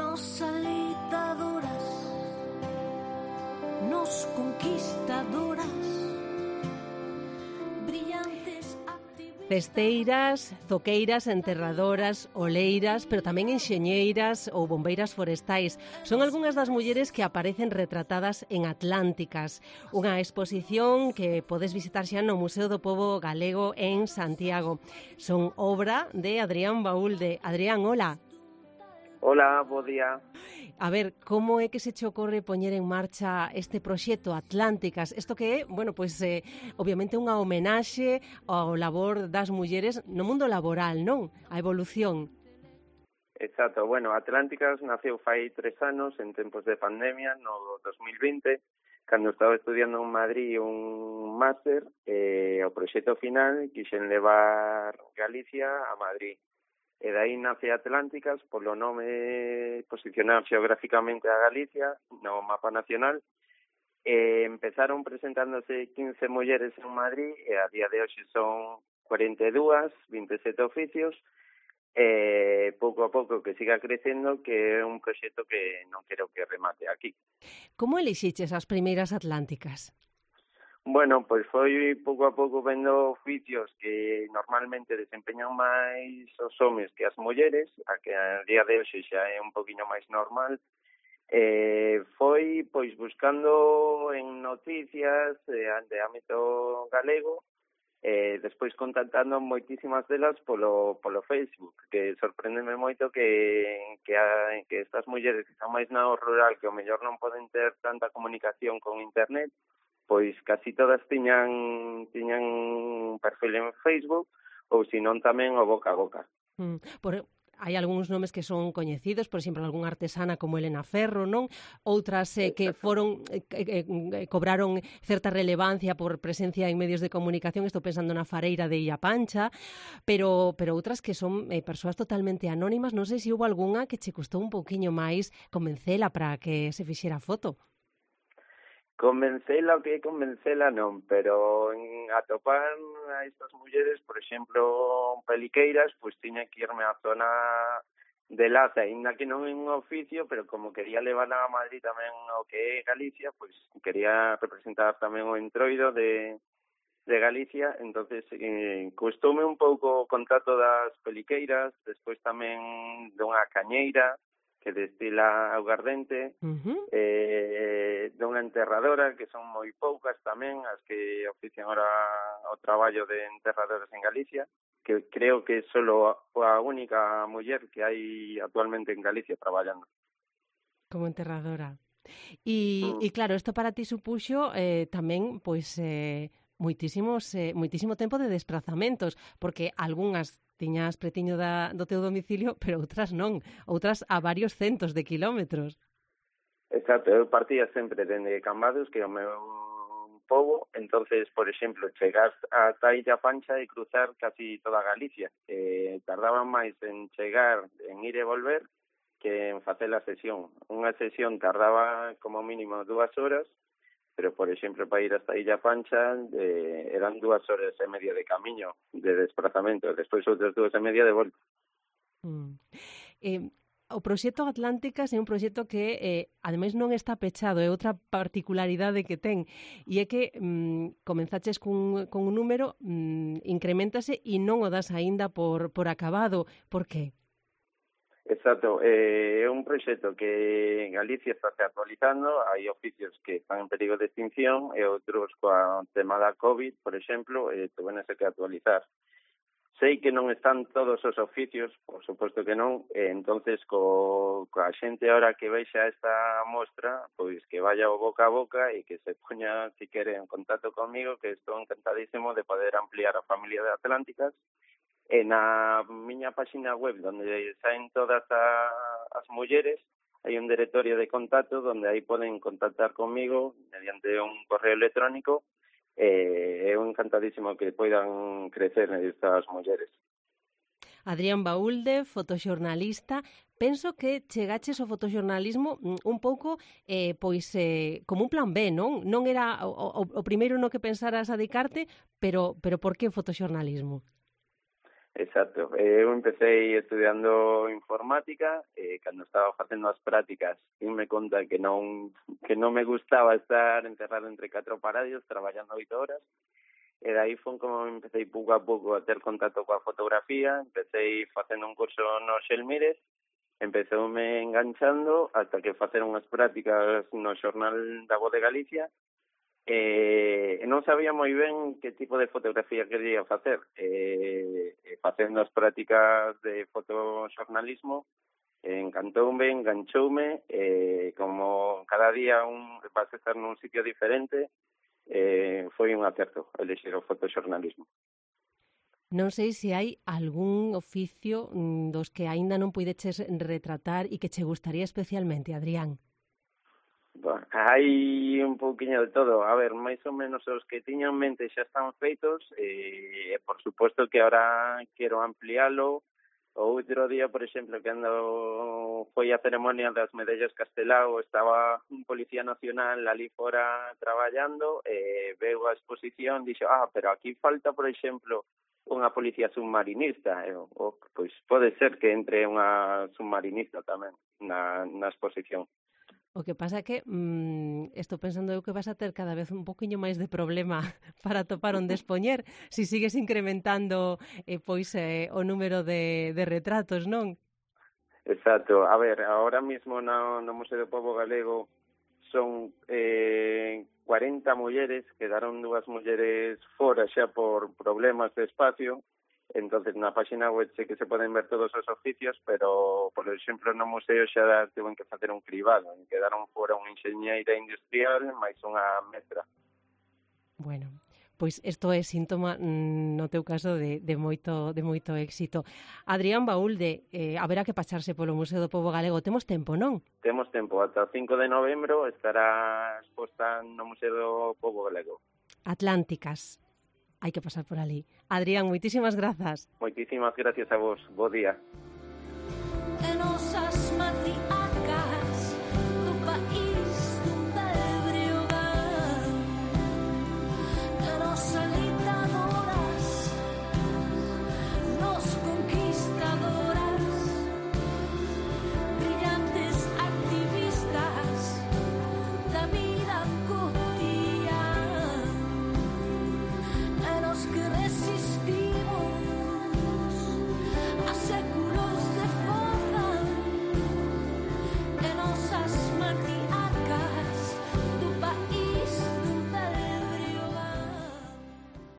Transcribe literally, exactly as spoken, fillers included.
nos alitadoras, nos conquistadoras, brillantes activistas. Festeiras, zoqueiras, enterradoras, oleiras, pero tamén enxeñeiras ou bombeiras forestais. Son algunhas das mulleres que aparecen retratadas en Atlánticas, unha exposición que podes visitar xa no Museo do Pobo Galego en Santiago. Son obra de Adrián Baúlde. Adrián, hola. Hola, bo día. A ver, como é que se che ocorre poñer en marcha este proxecto Atlánticas? Isto que é, bueno, pois eh, obviamente unha homenaxe ao labor das mulleres no mundo laboral, non? A evolución. Exacto, bueno, Atlánticas naceu fai tres anos en tempos de pandemia, no dos mil vinte, cando estaba estudiando en Madrid un máster, e o proxecto final quixen levar Galicia a Madrid. E dai nace Atlánticas polo nome posicionar xeográficamente a Galicia no mapa nacional. E empezaron presentándose quince mulleres en Madrid e a día de hoxe son cuarenta e dúas, vinte e sete oficios, e pouco a pouco que siga crecendo, que é un proxecto que non quero que remate aquí. Como elixiches as primeiras Atlánticas? Bueno, pois foi pouco a pouco vendo oficios que normalmente desempeñan máis os homes que as mulleres, a que a día de hoxe xa é un poquinho máis normal. Eh, foi pois buscando en noticias eh, de ámbito galego, eh, despois contactando moitísimas delas polo, polo Facebook, que sorprendeme moito que, que, a, que estas mulleres que están máis na rural, que ao mellor non poden ter tanta comunicación con internet, pois casi todas tiñan tiñan un perfil en Facebook, ou senón tamén o boca a boca. Mm, por, hai algúns nomes que son coñecidos, por exemplo, algunha artesana como Elena Ferro, non? Outras eh, que foron eh, eh, eh, cobraron certa relevancia por presencia en medios de comunicación, estou pensando na Fareira de Illa Pancha, pero pero outras que son eh, persoas totalmente anónimas. Non sei se houve algunha que che custou un pouquiño máis convencela para que se fixera foto. Convencela o que é convencela non, pero en atopar a estas mulleres, por exemplo, peliqueiras, pois tiña que irme á zona de Laza, ainda que non é un oficio, pero como quería levar a Madrid tamén o que é Galicia, pois quería representar tamén o entroido de, de Galicia, entonces eh, custoume un pouco o contacto das peliqueiras, despois tamén dunha cañeira, que destila augardente, uh-huh. eh, de unha enterradora, que son moi poucas tamén, as que ofician ahora o traballo de enterradoras en Galicia, que creo que é solo a única muller que hai actualmente en Galicia traballando. Como enterradora. E, mm. e claro, isto para ti supuxo eh, tamén, pois, eh, moitísimos, eh, moitísimo tempo de desplazamentos, porque algunhas tiñas pretiño da, do teu domicilio, pero outras non, outras a varios centos de kilómetros. Exacto, eu partía sempre dende Cambados, que é o meu pobo, entonces, por exemplo, chegar a Illa Pancha e cruzar casi toda Galicia. Eh, tardaban máis en chegar, en ir e volver, que en facer a sesión. Unha sesión tardaba como mínimo dúas horas, pero, por exemplo, para ir hasta Illa Pancha eh, eran dúas horas e media de camiño, de desplazamento, despois outras dúas e media de volta. Mm. Eh, o proxecto Atlánticas é un proxecto que, eh, ademais, non está pechado, é outra particularidade que ten, e é que mm, comenzaches cun, con un número, mm, incrementase e non o das aínda por, por acabado. Por qué? Exacto, eh, é un proxecto que en Galicia está se actualizando, hai oficios que están en perigo de extinción e outros coa tema da COVID, por exemplo, eh, tuvenese que actualizar. Sei que non están todos os oficios, por suposto que non, e entonces co, coa xente ahora que vexa esta mostra, pois que vaya o boca a boca e que se poña, si quere, en contacto comigo, que estou encantadísimo de poder ampliar a familia de Atlánticas. E na miña página web, onde saen todas a, as mulleres, hai un directorio de contacto onde aí poden contactar comigo mediante un correo electrónico, e é un encantadísimo que poidan crecer estas mulleres. Adrián Baúlde, fotoxornalista. Penso que chegaches ao fotoxornalismo un pouco eh, pois eh, como un plan B, non? Non era o, o, o primeiro no que pensaras adicarte, pero, pero por que o fotoxornalismo? Exacto. Eu empecé estudiando informática, e cando estaba facendo as prácticas me conta que non que non me gustaba estar encerrado entre catro paredes traballando oito horas, e dai foi como empecé pouco a pouco a ter contacto coa fotografía, empecé facendo un curso no Xelmires, empezoume enganchando hasta que facer unhas prácticas no xornal da Voz de Galicia. E non sabía moi ben que tipo de fotografía quería facer. E, e facendo as prácticas de fotoxornalismo, encantoume, enganchoume, e como cada día un vas a estar nun sitio diferente, eh, foi un acerto elixir o fotoxornalismo. Non sei se hai algún oficio mm, dos que aínda non puideches retratar e que che gustaría especialmente, Adrián. Bueno, hai un pouquiño de todo. A ver, máis ou menos os que tiña en mente xa están feitos e, por suposto, que ahora quero ampliálo. O outro día, por exemplo, cando foi a ceremonia das medallas Castelao, estaba un policía nacional ali fora traballando e veu a exposición, dixo, ah, pero aquí falta, por exemplo, unha policía submarinista. E, oh, pois pode ser que entre unha submarinista tamén na, na exposición. O que pasa é que mmm, estou pensando eu que vas a ter cada vez un poquinho máis de problema para topar onde expoñer se si sigues incrementando eh, pois eh, o número de, de retratos, non? Exacto. A ver, ahora mismo no, no Museo do Pobo Galego son eh, cuarenta mulleres, quedaron dúas mulleres fora xa por problemas de espacio. Entonces, na página web sei que se poden ver todos os oficios, pero, por exemplo, no museo xa tiven que facer un cribado. Quedaron fora unha enxeñeira industrial máis unha mestra. Bueno, pois isto é síntoma, no teu caso, de, de, moito, de moito éxito. Adrián Baúlde, eh, haberá que pasarse polo Museo do Pobo Galego. Temos tempo, non? Temos tempo. Ata o cinco de novembro estará exposta no Museo do Pobo Galego. Atlánticas. Hai que pasar por ali. Adrián, moitísimas grazas. Moitísimas gracias a vos. Bo día. En osas matriz